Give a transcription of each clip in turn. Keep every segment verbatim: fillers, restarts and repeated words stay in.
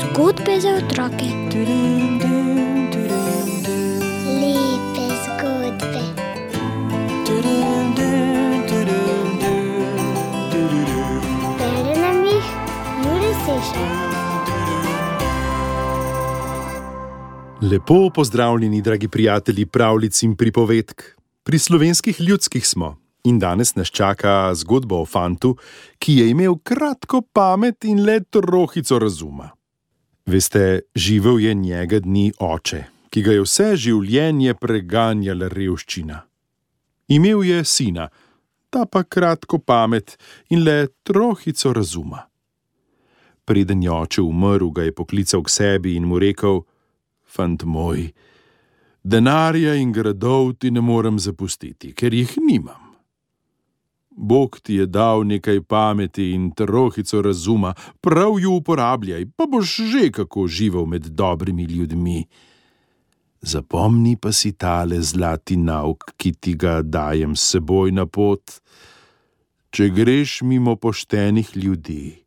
Zgodbe za otroke. Lepe zgodbe. Bere nam jih Jure Sešar. Lepo pozdravljeni, dragi prijatelji pravljic in pripovedk. Pri slovenskih ljudskih smo in danes nas čaka zgodba o fantu, ki je imel kratko pamet in le trohico razuma. Veste, živel je njega dni oče, ki ga je vse življenje preganjala revščina. Imel je sina, ta pa kratko pamet in le trohico razuma. Preden je oče umrl, ga je poklical k sebi in mu rekel: Fant moj, denarja in gradov ti ne morem zapustiti, ker jih nimam. Bog ti je dal nekaj pameti in trohico razuma, prav ju uporabljaj, pa boš že kako živel med dobrimi ljudmi. Zapomni pa si tale zlati nauk, ki ti ga dajem s seboj na pot. Če greš mimo poštenih ljudi,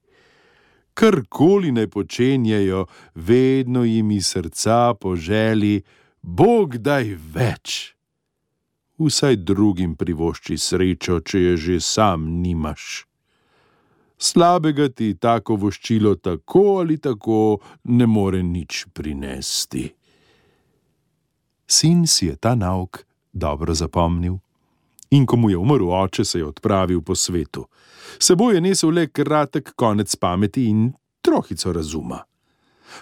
karkoli naj počenjajo, vedno jim iz srca poželi: Bog daj več. Vsaj drugim privošči srečo, če je že sam nimaš. Slabega ti tako voščilo tako ali tako ne more nič prinesti. Sin si je ta nauk dobro zapomnil in ko mu je umrl oče, se je odpravil po svetu. S seboj je nesel le kratek konec pameti in trohico razuma.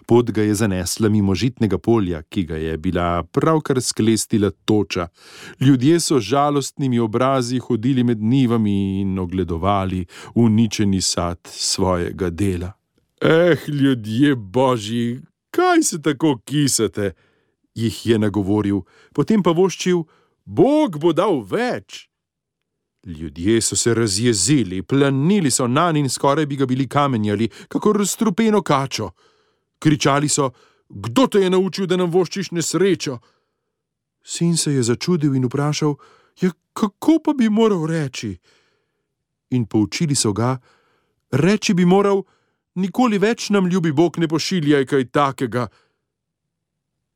Pot ga je zanesla mimo žitnega polja, ki ga je bila pravkar sklestila toča. Ljudje so žalostnimi obrazi hodili med njivami in ogledovali uničeni sad svojega dela. Eh, ljudje božji, kaj se tako kisate? Jih je nagovoril, potem pa voščil: Bog bo dal več. Ljudje so se razjezili, planili so nanj in skoraj bi ga bili kamenjali, kakor strupeno kačo. Kričali so: Kdo te je naučil, da nam voščiš nesrečo? Sin se je začudil in vprašal: Ja, kako pa bi moral reči? In poučili so ga: Reči bi moral: Nikoli več nam, ljubi Bog, ne pošiljaj kaj takega.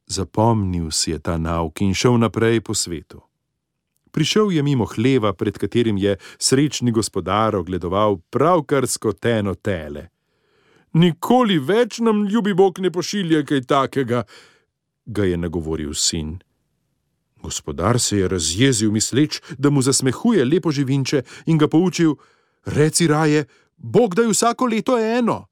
Zapomnil si je ta nauk in šel naprej po svetu. Prišel je mimo hleva, pred katerim je srečni gospodar ogledoval pravkar skoteno tele. Nikoli več nam, ljubi Bog, ne pošilja kaj takega, ga je nagovoril sin. Gospodar se je razjezil, misleč, da mu zasmehuje lepo živinče, in ga poučil: Reci raje: Bog daj vsako leto eno.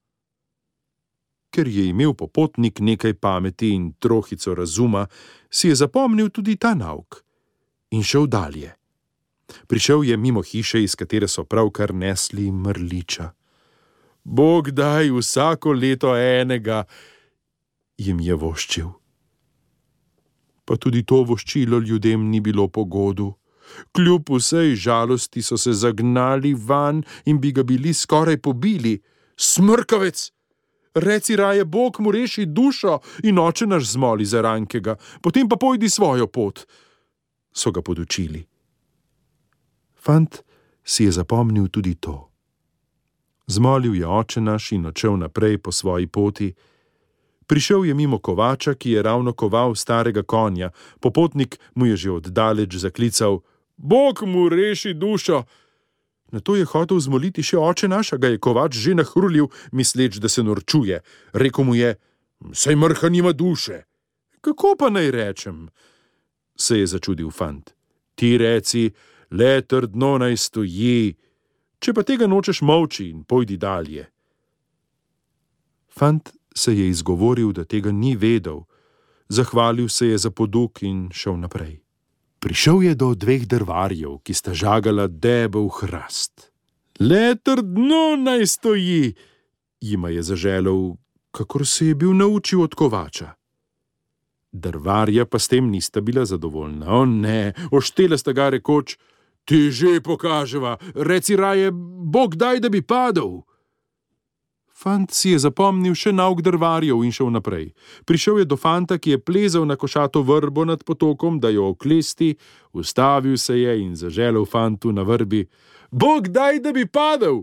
Ker je imel popotnik nekaj pameti in trohico razuma, si je zapomnil tudi ta nauk in šel dalje. Prišel je mimo hiše, iz katere so pravkar nesli mrliča. Bog daj vsako leto enega, jim je voščil. Pa tudi to voščilo ljudem ni bilo pogodu. Kljub vsej žalosti so se zagnali van in bi ga bili skoraj pobili. Smrkavec! Reci raje: Bog mu reši dušo in oče naš zmoli za rankega, potem pa pojdi svojo pot, so ga podučili. Fant si je zapomnil tudi to. Zmolil je oče naš in odšel naprej po svoji poti. Prišel je mimo kovača, ki je ravno koval starega konja. Popotnik mu je že oddaleč zaklical: Bog mu reši dušo. Nato je hotel zmoliti še oče naš, a ga je kovač že nahrulil, misleč, da se norčuje. Rekel mu je: Saj mrha nima duše. Kako pa naj rečem? Se je začudil fant. Ti reci: Le trdno naj stoji. Če pa tega nočeš, molči in pojdi dalje. Fant se je izgovoril, da tega ni vedel. Zahvalil se je za poduk in šel naprej. Prišel je do dveh drvarjev, ki sta žagala debel hrast. Le trdno naj stoji, jima je zaželel, kakor se je bil naučil od kovača. Drvarja pa s tem nista bila zadovoljna. O ne, oštela sta ga rekoč: Ti že pokaževa, reci raje: Bog daj, da bi padel. Fant si je zapomnil še nauk drvarjev in šel naprej. Prišel je do fanta, ki je plezal na košato vrbo nad potokom, da jo oklesti, ustavil se je in zaželel fantu na vrbi: Bog daj, da bi padel.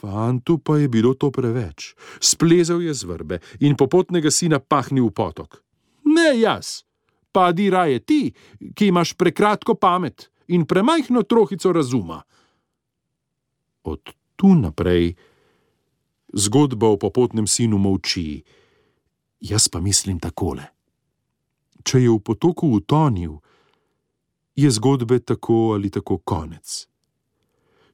Fantu pa je bilo to preveč. Splezal je z vrbe in popotnega sina pahnil v potok. Ne jaz, padi raje ti, ki imaš prekratko pamet in premajhno trohico razuma. Od tu naprej zgodba o popotnem sinu molči. Jaz pa mislim takole. Če je v potoku utonil, je zgodbe tako ali tako konec.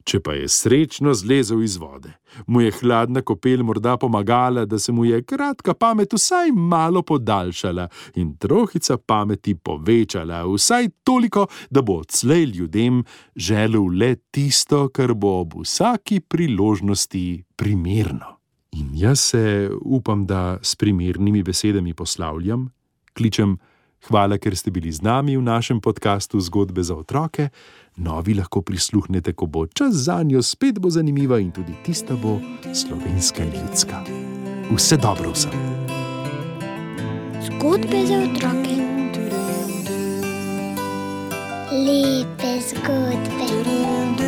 Če pa je srečno zlezel iz vode, mu je hladna kopel morda pomagala, da se mu je kratka pamet vsaj malo podaljšala in trohica pameti povečala, vsaj toliko, da bo odslej ljudem želel le tisto, kar bo ob vsaki priložnosti primerno. In jaz se, upam, da s primernimi besedami poslavljam, kličem hvala, ker ste bili z nami v našem podkastu Zgodbe za otroke. Novi lahko prisluhnete, ko bo čas zanjo, spet bo zanimiva in tudi tista bo slovenska in ljudska. Vse dobro vsem. Zgodbe za otroke. Lepe zgodbe.